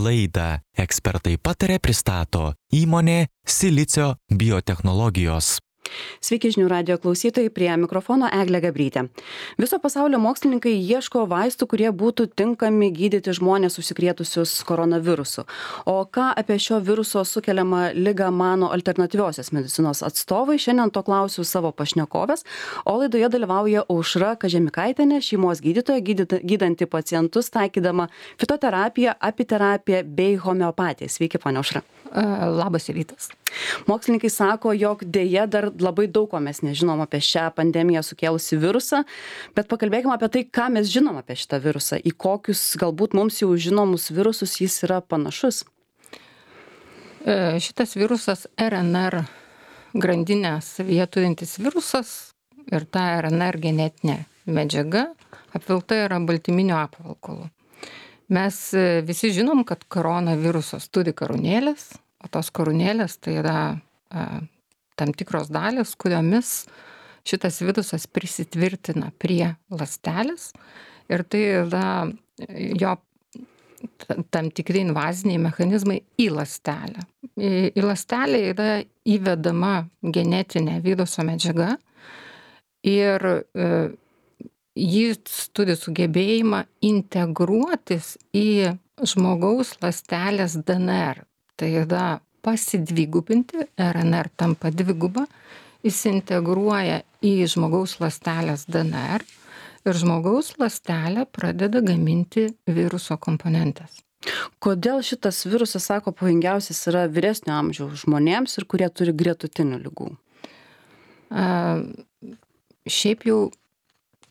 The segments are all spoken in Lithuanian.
Laidą Ekspertai pataria pristato įmonė Silicio biotechnologijos. Sveiki žinių radijo klausytojai, prie mikrofono Eglė Gabrytė. Viso pasaulio mokslininkai ieško vaistų, kurie būtų tinkami gydyti žmonės užsikrėtusius koronavirusu. O ką apie šio viruso sukeliamą ligą mano alternatyviosios medicinos atstovai, šiandien to klausiu savo pašnekovės, o laidoje dalyvauja Aušra Kažemikaitienė, šeimos gydytoja, gydanti pacientus, taikydama fitoterapiją, apiterapiją bei homeopatiją. Sveiki, ponia Aušra. Labas rytas. Mokslininkai sako, jog dėja dar labai daug ko mes nežinom apie šią pandemiją sukėlusi virusą, bet pakalbėkime apie tai, ką mes žinom apie šitą virusą, į kokius galbūt mums jau žinomus virusus jis yra panašus. Šitas virusas RNR grandinę savyje turintis virusas ir ta RNR genetinė medžiaga apvilkta yra baltyminio apvalkalu. Mes visi žinom, kad koronavirusas turi karūnėlės, o tos karūnėlės tai yra tam tikros dalys, kuriomis šitas virusas prisitvirtina prie ląstelės ir tai yra jo tam tikri invaziniai mechanizmai į ląstelę. Į ląstelę yra įvedama genetinė viruso medžiaga ir jis turi sugebėjimą integruotis į žmogaus ląstelės DNR. Tai yra pasidvigubinti, RNR tampa dviguba, jis integruoja į žmogaus ląstelės DNR ir žmogaus ląstelė pradeda gaminti viruso komponentes. Kodėl šitas virusas, sako, pavojingiausias yra vyresnio amžiaus žmonėms ir kurie turi gretutinių ligų? Šiaip jau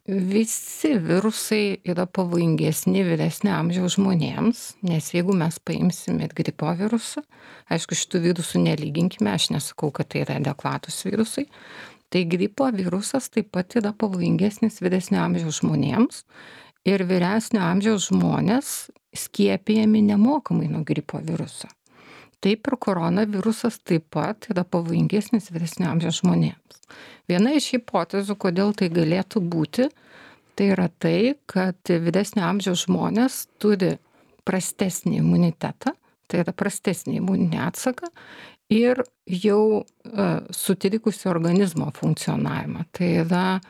visi virusai yra pavojingesni vyresnio amžiaus žmonėms, nes jeigu mes paimsime gripo virusą, aišku, šitų virusų nelyginkime, aš nesakau, kad tai yra adekvatus virusai, tai gripo virusas taip pat yra pavojingesnis vyresnio amžiaus žmonėms ir vyresnio amžiaus žmonės skiepijami nemokamai nuo gripo viruso. Taip ir koronavirusas taip pat yra pavojingesnis vyresnio amžiaus žmonėms. Viena iš hipotezių, kodėl tai galėtų būti, tai yra tai, kad vyresnio amžiaus žmonės turi prastesnį imunitetą, tai yra prastesnį imuninį atsaką ir jau sutrikusi organizmo funkcionavimą. Tai yra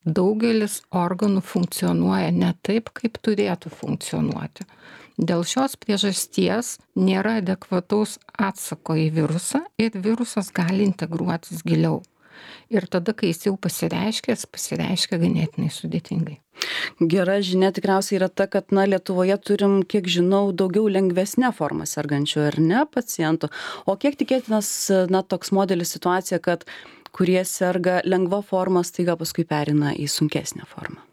daugelis organų funkcionuoja ne taip, kaip turėtų funkcionuoti. Dėl šios priežasties nėra adekvataus atsako į virusą ir virusas gali integruotis giliau. Ir tada, kai jis jau pasireiškia ganėtinai sudėtingai. Gera žinia tikriausiai yra ta, kad Lietuvoje turim, kiek žinau, daugiau lengvesnę formą sergančių, ar ne, pacientų. O kiek tikėtinas toks modelis situacija, kad kurie serga lengva forma, staiga paskui perina į sunkesnę formą?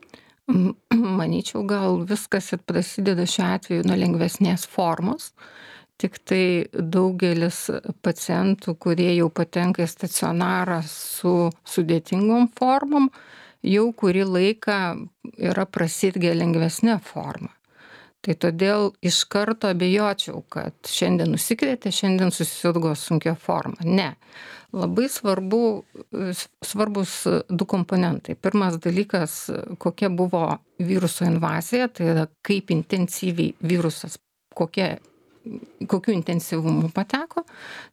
Manyčiau, gal viskas ir prasideda šiuo atveju nuo lengvesnės formos. Tik tai daugelis pacientų, kurie jau patenka į stacionarą su sudėtingom formom, jau kurį laiką yra prasirgę lengvesnė forma. Tai todėl iš karto abejočiau, kad šiandien nusikrėtė, šiandien susirgo sunkia forma. Ne. Labai svarbus du komponentai. Pirmas dalykas, kokia buvo viruso invazija, tai yra kaip intensyviai virusas, kokiu intensyvumu pateko,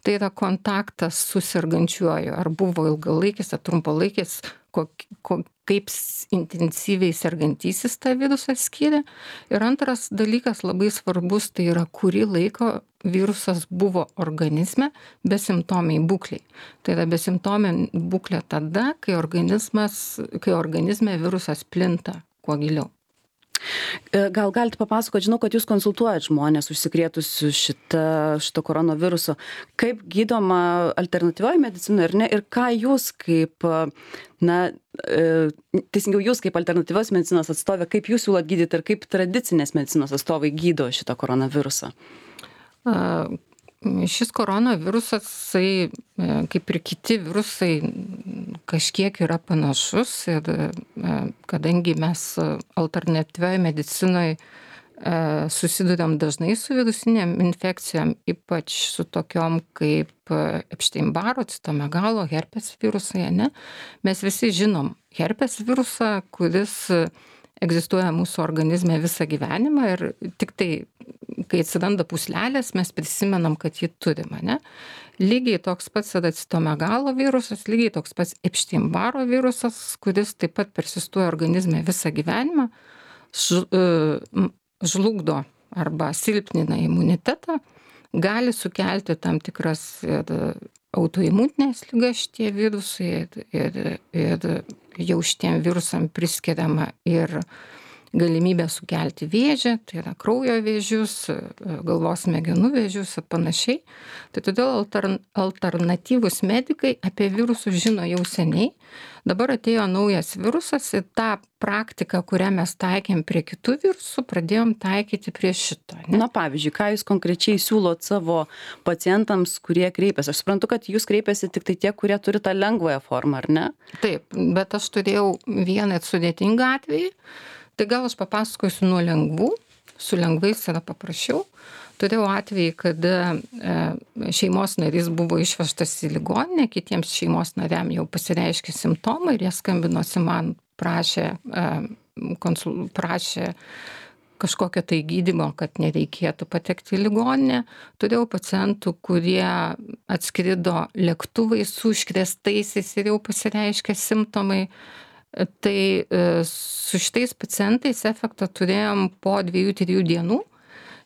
tai yra kontaktas su sergančiuoju, ar buvo ilgalaikis, ar trumpalaikis, kaip intensyviai sergantysis tą virusą skiria. Ir antras dalykas labai svarbus, tai yra kurį laiką virusas buvo organizme besimptomiai būkliai. Tai yra besimptomiai būklė tada, kai organizme virusas plinta kuo giliau. Gal galite papasakoti, žinau, kad jūs konsultuojat žmonės užsikrėtusių šito koronaviruso. Kaip gydoma alternatyvioji medicina ir ką jūs kaip, teisingiau jūs kaip alternatyvios medicinos atstovė, kaip jūs siūlot gydyti ir kaip tradicinės medicinos atstovai gydo šitą koronavirusą? Šis koronavirusas, kaip ir kiti virusai, kažkiek yra panašus ir kadangi mes alternatyvioje medicinoje susiduriam dažnai su virusinėm infekcijom, ypač su tokiom kaip Epstein-Barro, citomegalo, herpes virusai, ne? Mes visi žinom herpes virusą, kuris egzistuoja mūsų organizme visą gyvenimą ir tik tai kai atsiranda pūslelės, mes prisimenam, kad jį turim, ne? Lygiai toks pats yra citomegalo virusas, lygiai toks pats Epstein-Barro virusas, kuris taip pat persistuoja organizme visą gyvenimą, žlugdo arba silpnina imunitetą, gali sukelti tam tikras ir autoimuninės ligas šitie virusai ir jau šitiem virusam priskiriama ir galimybę sukelti vėžį, tai yra kraujo vėžius, galvos smegenų vėžius ir panašiai. Tai todėl alternatyvūs medikai apie virusus žino jau seniai. Dabar atėjo naujas virusas ir tą praktiką, kurią mes taikėm prie kitų virusų, pradėjom taikyti prie šito. Ne? Na, pavyzdžiui, ką jūs konkrečiai siūlot savo pacientams, kurie kreipiasi? Aš suprantu, kad jūs kreipiasi tik tai tie, kurie turi tą lengvąją formą, ar ne? Taip, bet aš turėjau vieną sudėtingą atvejį. Tai gal aš papasakosiu nuo lengvų, su lengvais yra paprasčiau. Turėjau atvejį, kada šeimos narys buvo išvežtas į ligoninę, kitiems šeimos nariam jau pasireiškė simptomai ir jie skambinosi man, prašė kažkokio tai gydymo, kad nereikėtų patekti į ligoninę. Turėjau pacientų, kurie atskrido lėktuvais su užkrėstaisiais ir jau pasireiškė simptomai. Tai su šitais pacientais efektą turėjom po 2-3 dienų.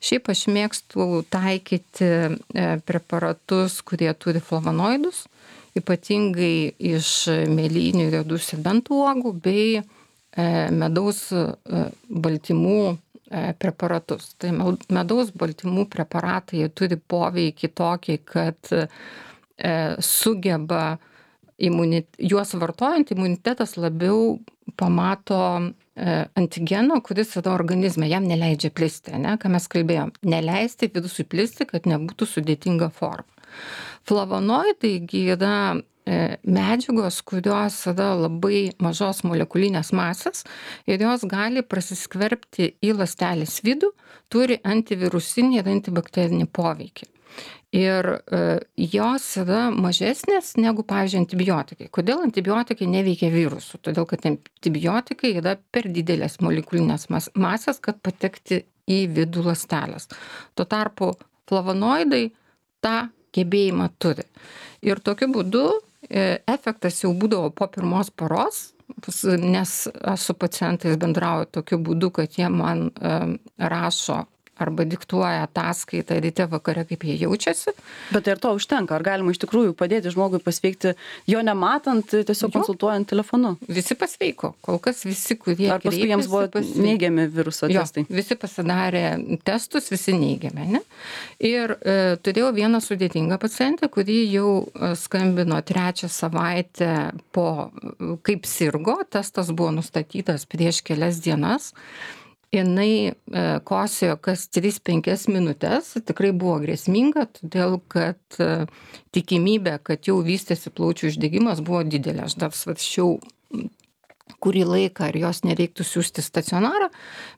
Šiaip aš mėgstu taikyti preparatus, kurie turi flavonoidus, ypatingai iš mėlynių, riedų serbentų uogų bei medaus baltymų preparatus. Tai medaus baltymų preparatai turi poveikį tokį, kad sugeba juos vartojant, imunitetas labiau pamato antigeno, kuris yra organizme, jam neleidžia plisti, ne? Ką mes kalbėjom, neleisti virusui plisti, kad nebūtų sudėtinga forma. Flavonoidai yra medžiagos, kurios yra labai mažos molekulinės masės ir jos gali prasiskverbti į ląstelės vidų, turi antivirusinį ir antibakterinį poveikį. Ir jos yra mažesnės negu, pavyzdžiui, antibiotikai. Kodėl antibiotikai neveikia virusų? Todėl, kad antibiotikai yra per didelės molekulinės masės, kad patekti į vidų ląstelės. Tuo tarpu flavonoidai tą gebėjimą turi. Ir tokiu būdu efektas jau būdavo po pirmos paros, nes aš su pacientais bendrauju tokiu būdu, kad jie man rašo arba diktuoja ataskaitą ryte vakare, kaip jie jaučiasi. Bet ir to užtenka. Ar galima iš tikrųjų padėti žmogui pasveikti, jo nematant, tiesiog konsultuojant telefonu? Visi pasveiko. Kol kas visi, kurie ar paskui jiems buvo neigiami viruso testai? Visi pasidarė testus, visi neigiami. Ne? Ir turėjau vieną sudėtingą pacientę, kuri jau skambino 3 savaitę po, kaip sirgo. Testas buvo nustatytas prieš kelias dienas. Jinai kosėjo kas 3-5 minutės, tikrai buvo grėsminga, todėl kad tikimybė, kad jau vystėsi plaučių uždegimas, buvo didelė. Aš dar svarsčiau kurį laiką, ar jos nereiktų siųsti stacionarą,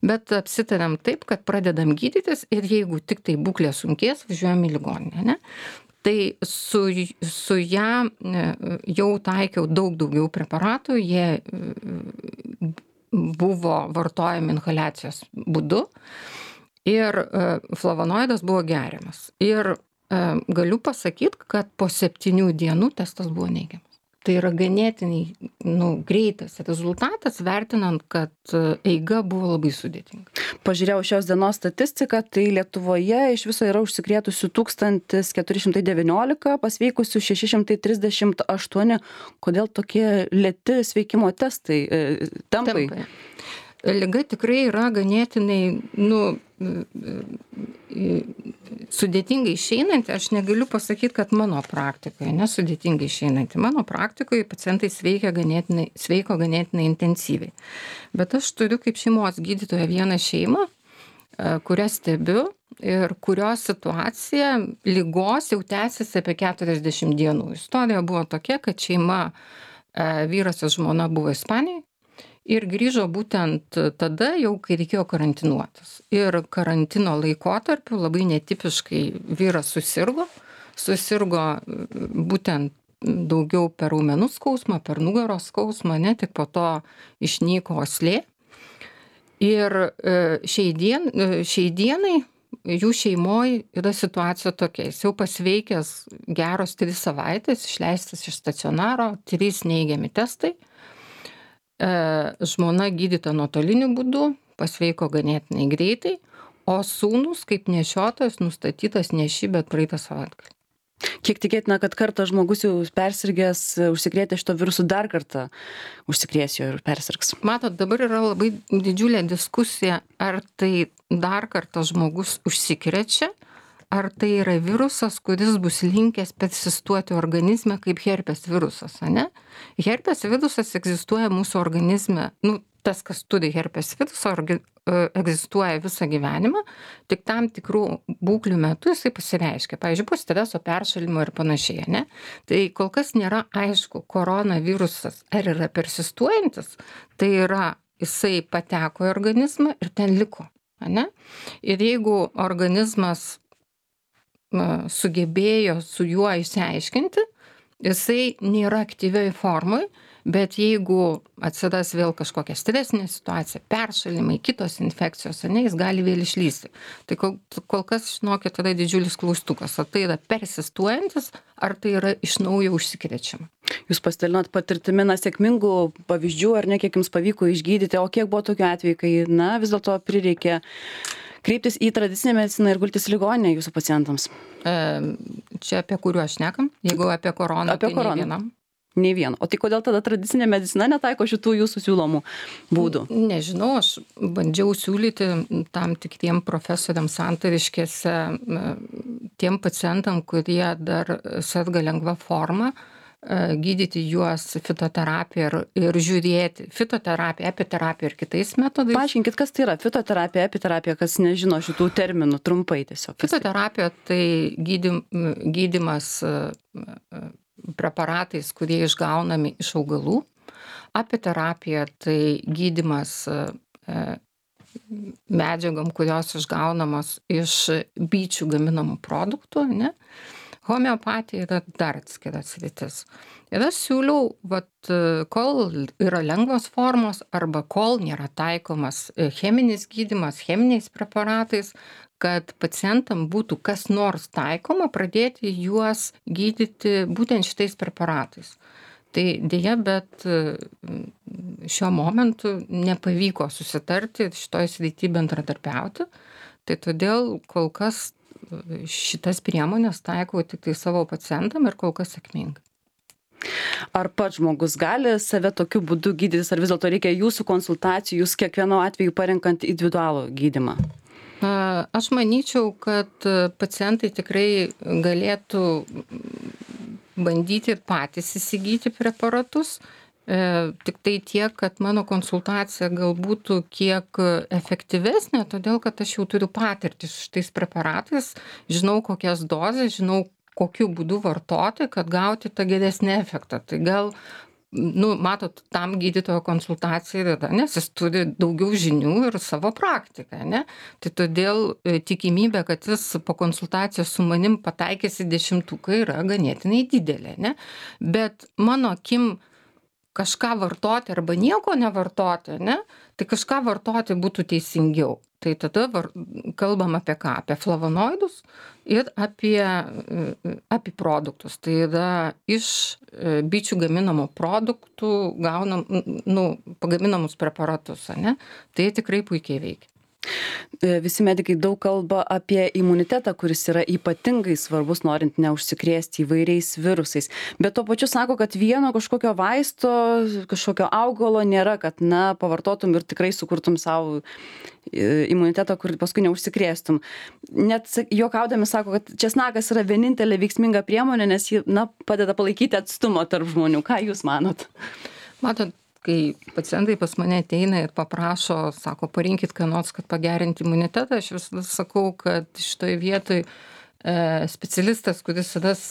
bet apsitarėm taip, kad pradedam gydytis ir jeigu tik tai būklė sunkės, važiuojam į ligoninę. Ne? Tai su ją jau taikiau daug daugiau preparatų, jie buvo vartojami inhaliacijos būdu ir flavonoidas buvo geriamas. Ir galiu pasakyti, kad po 7 dienų testas buvo neigiamas. Tai yra ganėtinai greitas rezultatas, vertinant, kad eiga buvo labai sudėtinga. Pažiūrėjau šios dienos statistiką, tai Lietuvoje iš viso yra užsikrėtusių 1419, pasveikusių 638. Kodėl tokie lėti sveikimo testai tempai? Liga tikrai yra ganėtinai sudėtingai išeinanti. Aš negaliu pasakyti, kad mano praktikoje nesudėtingai išeinanti. Mano praktikoje pacientai sveiko ganėtinai intensyviai. Bet aš turiu kaip šeimos gydytoja vieną šeimą, kurią stebiu ir kurios situacija ligos jau tęsiasi apie 40 dienų. Istorija buvo tokia, kad šeima, vyras ir žmona buvo Ispanijoje. Ir grįžo būtent tada jau, kai reikėjo karantinuotis. Ir karantino laikotarpiu labai netipiškai vyras susirgo būtent daugiau per raumenų skausmą, per nugaros skausmą, ne, tik po to išnyko uoslė. Ir šiai dienai jų šeimoje yra situacija tokia, jis jau pasveikęs geros 3 savaitės, išleistas iš stacionaro, 3 neigiami testai, žmona gydyta nuotoliniu būdu, pasveiko ganėtinai greitai, o sūnus kaip nešiotojas nustatytas neši, bet praeitą savaitgalį. Kiek tikėtina, kad kartą žmogus jau persirgęs, užsikrėtė šito virusu, dar kartą užsikrės jo ir persirgs? Matot, dabar yra labai didžiulė diskusija, ar tai dar kartą žmogus užsikrečia, ar tai yra virusas, kuris bus linkęs persistuoti organizme kaip herpes virusas, ane? Herpes virusas egzistuoja mūsų organizme, tas, kas turi herpes virusą, egzistuoja visą gyvenimą, tik tam tikrų būklių metu jisai pasireiškia, pavyzdžiui, po streso, peršalimo ir panašiai, ne? Tai kol kas nėra aišku, koronavirusas ar yra persistuojantis, tai yra jisai pateko į organizmą ir ten liko, ne? Ir jeigu organizmas sugebėjo su juo išsiaiškinti, jisai nėra aktyvioj formoj, bet jeigu atsiras vėl kažkokia stresinė situacija, peršalimai, kitos infekcijos, ne, jis gali vėl išlysti. Tai kol kas, žinokit, yra didžiulis klaustukas, ar tai yra persistuojantis, ar tai yra iš naujo užsikrečiama. Jūs pasidalinot patirtimi, sėkmingų pavyzdžių, ar ne, kiek jums pavyko išgydyti, o kiek buvo tokių atvejų, kai, vis dėlto prireikė kreiptis į tradicinę mediciną ir gultis į ligoninę jūsų pacientams? Čia apie kuriuos šnekam? Jeigu apie koroną, apie tai koroną. nei vienam. Nei vieno. O tai kodėl tada tradicinė medicina netaiko šitų jūsų siūlomų būdų? Nežinau, aš bandžiau siūlyti tam tikriem profesoriams santariškėse, tiem pacientam, kurie dar serga lengva forma, gydyti juos fitoterapija ir žiūrėti. Fitoterapija, epiterapija ir kitais metodais. Paaiškinkit, kas tai yra fitoterapija, epiterapija, kas nežino šitų terminų, trumpai tiesiog. Fitoterapija tai gydymas preparatais, kurie išgaunami iš augalų. Apiterapija tai gydymas medžiagom, kurios išgaunamos iš bičių gaminamų produktų, ne? Homeopatija yra dar atskiras sritis. Ir aš siūliau, kol yra lengvos formos arba kol nėra taikomas cheminis gydymas cheminiais preparatais, kad pacientam būtų kas nors taikoma, pradėti juos gydyti būtent šitais preparatais. Tai dėja, bet šiuo momentu nepavyko susitarti šitoj srity bendradarbiauti. Tai todėl kol kas šitas priemonės taikau tik tai savo pacientam ir kol kas sėkmingai. Ar pats žmogus gali save tokiu būdu gydytis, ar vis dėlto reikia jūsų konsultacijų, jūs kiekvieno atveju parenkant individualų gydymą? Aš manyčiau, kad pacientai tikrai galėtų bandyti patys įsigyti preparatus. Tik tai tiek, kad mano konsultacija gal būtų kiek efektyvesnė, todėl kad aš jau turiu patirtį su šitais preparatais, žinau kokias dozes, žinau kokiu būdu vartoti, kad gauti tą geresnį efektą. Tai gal, matot, tam gydytojo konsultacija yra, nes jis turi daugiau žinių ir savo praktiką, ne? Tai todėl tikimybė, kad jis po konsultacijos su manim pataikys į 10-uką yra ganėtinai didelė, ne? Bet mano akim kažką vartoti arba nieko nevartoti, ne? Tai kažką vartoti būtų teisingiau. Tai tada kalbam apie ką? Apie flavonoidus ir apie produktus. Tai yra iš bičių gaminamų produktų pagaminamus preparatus, ne? Tai tikrai puikiai veikia. Visi medikai daug kalba apie imunitetą, kuris yra ypatingai svarbus, norint neužsikrėsti įvairiais virusais. Bet tuo pačiu sako, kad vieno kažkokio vaisto, kažkokio augalo nėra, kad pavartotum ir tikrai sukurtum savo imunitetą, kur paskui neužsikrėstum. Net juokaudami sako, kad česnakas yra vienintelė veiksminga priemonė, nes ji padeda palaikyti atstumą tarp žmonių. Ką jūs manot? Matot, kai pacientai pas mane ateina ir paprašo, sako, parinkit ką nors, kad pagerinti imunitetą, aš visada sakau, kad šitoje vietoje specialistas, kuris ras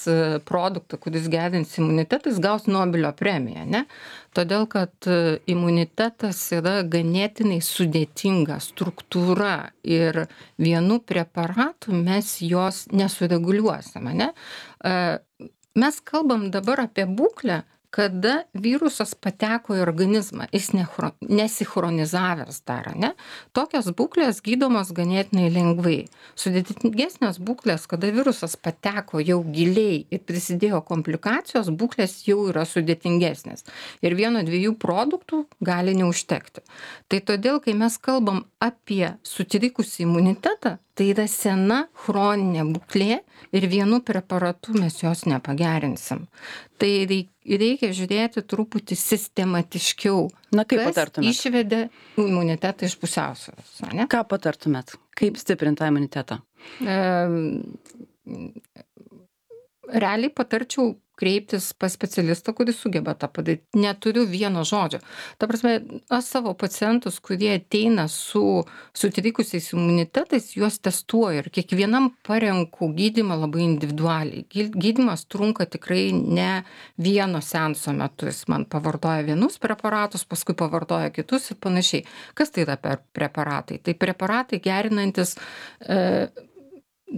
produktą, kuris gerins imunitetą, jis gaus Nobelio premiją, ne? Todėl, kad imunitetas yra ganėtinai sudėtinga struktūra ir vienu preparatu mes jos nesureguliuosime, ne? Mes kalbam dabar apie būklę, kada virusas pateko į organizmą, jis nesichronizavęs dar, ne? Tokios būklės gydomos ganėtinai lengvai. Sudėtingesnės būklės, kada virusas pateko jau giliai ir prisidėjo komplikacijos, būklės jau yra sudėtingesnės. Ir 1-2 produktų gali neužtekti. Tai todėl, kai mes kalbam apie sutrikusį imunitetą, tai yra sena chroninė būklė ir vienu preparatu mes jos nepagerinsim. Tai reikia žiūrėti truputį sistematiškiau, Na, kaip kas patartumėt? išvedė imunitetą iš pusiausvyros, ne? Ką patartumėt? Kaip stiprinti tą imunitetą? Realiai patarčiau kreiptis pas specialistą, kuris sugeba tą padaryti. Neturiu vieno žodžio. Ta prasme, aš savo pacientus, kurie ateina su sutrikusiais imunitetais, juos testuoju ir kiekvienam parenku gydymą labai individualiai. Gydymas trunka tikrai ne vieno seanso metu. Jis man pavartoja vienus preparatus, paskui pavartoja kitus ir panašiai. Kas tai yra per preparatai? Tai preparatai gerinantis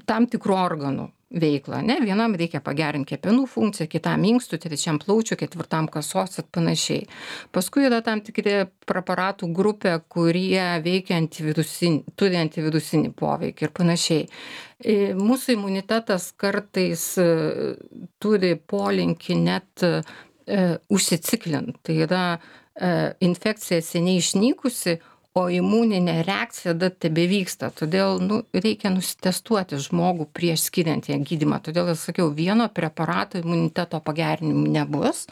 tam tikrų organų veiklą, ne? Vienam reikia pagerinti kepenų funkciją, kitam inkstų, trečiam plaučių, ketvirtam kasos ir panašiai. Paskui yra tam tikri preparatų grupė, kurie veikia turi antivirusinį poveikį ir panašiai. Mūsų imunitetas kartais turi polinkį net užsiciklinti. Tai yra infekcija seniai išnykusi, o imuninė reakcija dar tebevyksta. Todėl reikia nusitestuoti žmogų prieš skiriant ją gydymą. Todėl aš sakiau, vieno preparato imuniteto pagerinimų nebus,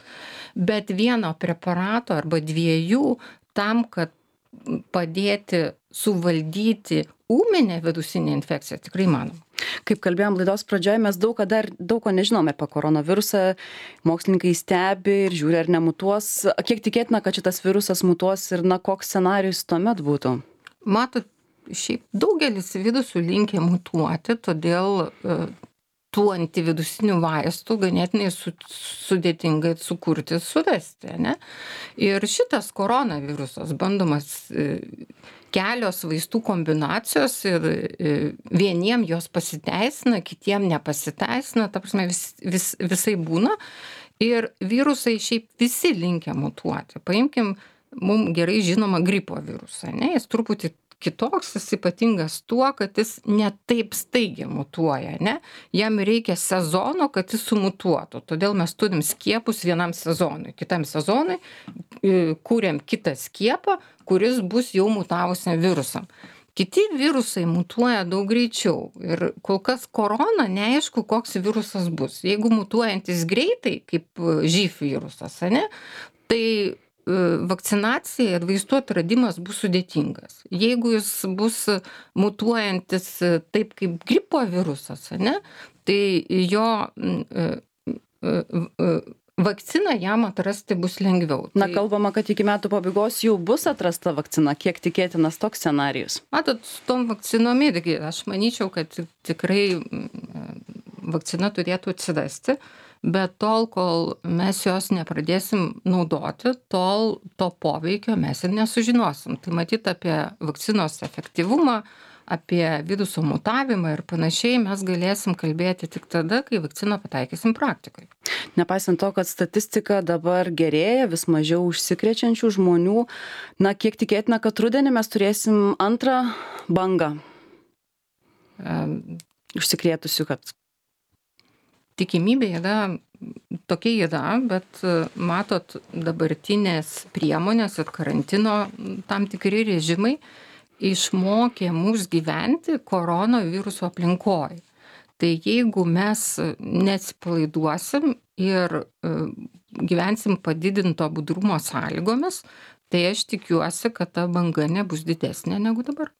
bet vieno preparato arba 2 tam, kad padėti suvaldyti ūminę virusinę infekciją, tikrai manoma. Kaip kalbėjom laidos pradžioje, mes daug ko nežinome apie koronavirusą. Mokslininkai stebi ir žiūri, ar nemutuos. Kiek tikėtina, kad šitas virusas mutuos ir koks scenarijus tuomet būtų? Matot, šiaip daugelis virusų linkę mutuoti, todėl tų antivirusinių vaistų ganėtinai sudėtingai sukurti, surasti, ne? Ir šitas koronavirusas bandomas kelios vaistų kombinacijos ir vieniem jos pasiteisina, kitiem nepasiteisina, ta prasme visai būna. Ir virusai šiaip visi linkę mutuoti. Paimkim mums gerai žinomą gripo virusą, ne? Jis truputį kitoks, jis ypatingas tuo, kad jis ne taip staigiai mutuoja, ne? Jam reikia sezono, kad jis sumutuotų. Todėl mes turim skiepus vienam sezonui. Kitam sezonui kūrėm kitą skiepą, kuris bus jau mutavusiam virusam. Kiti virusai mutuoja daug greičiau ir kol kas korona neaišku, koks virusas bus. Jeigu mutuojantis greitai, kaip živ virusas, ne? Tai vakcinacija ir vaistų atradimas bus sudėtingas. Jeigu jis bus mutuojantis taip kaip gripo virusas, ne, tai jo vakciną jam atrasti bus lengviau. Kalbama, kad iki metų pabaigos jau bus atrasta vakcina. Kiek tikėtinas toks scenarijus? Matot, su tom vakcinom irgi, aš manyčiau, kad tikrai vakcina turėtų atsirasti. Bet tol, kol mes jos nepradėsim naudoti, tol to poveikio mes ir nesužinosim. Tai matyt, apie vakcinos efektyvumą, apie viruso mutavimą ir panašiai mes galėsim kalbėti tik tada, kai vakciną pataikysim praktikoje. Nepaisant to, kad statistika dabar gerėja, vis mažiau užsikrečiančių žmonių, kiek tikėtina, kad rudenį mes turėsim antrą bangą užsikrėtusių, kad tikimybė tokia yra, bet matot, dabartinės priemonės ir karantino tam tikri režimai išmokė mus gyventi koronaviruso aplinkoje. Tai jeigu mes neatsipalaiduosim ir gyvensim padidinto budrumo sąlygomis, tai aš tikiuosi, kad ta banga nebus didesnė negu dabar.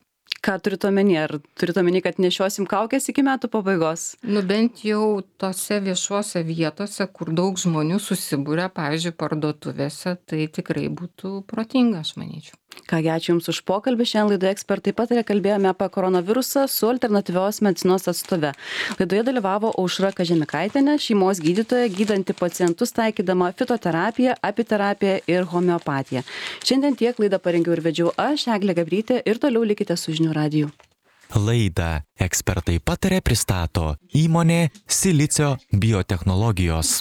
Ką turit omeny? Ar turit omeny, kad nešiosim kaukės iki metų pabaigos? Bent jau tose viešuose vietose, kur daug žmonių susibūrė, pavyzdžiui, parduotuvėse, tai tikrai būtų protinga, aš manyčiau. Kągi, ačiū Jums už pokalbį. Šiandien laidoje Ekspertai pataria kalbėjome apie koronavirusą su alternatyvios medicinos atstove. Laidoje dalyvavo Aušra Kažemikaitienė, šeimos gydytoja, gydanti pacientus taikydama fitoterapiją, apiterapiją ir homeopatiją. Šiandien tiek, laidą parengiau ir vedžiau aš, Eglė Gabrytė, ir toliau likite su Žinių radiju. Laidą Ekspertai pataria pristato įmonė Silicio biotechnologijos.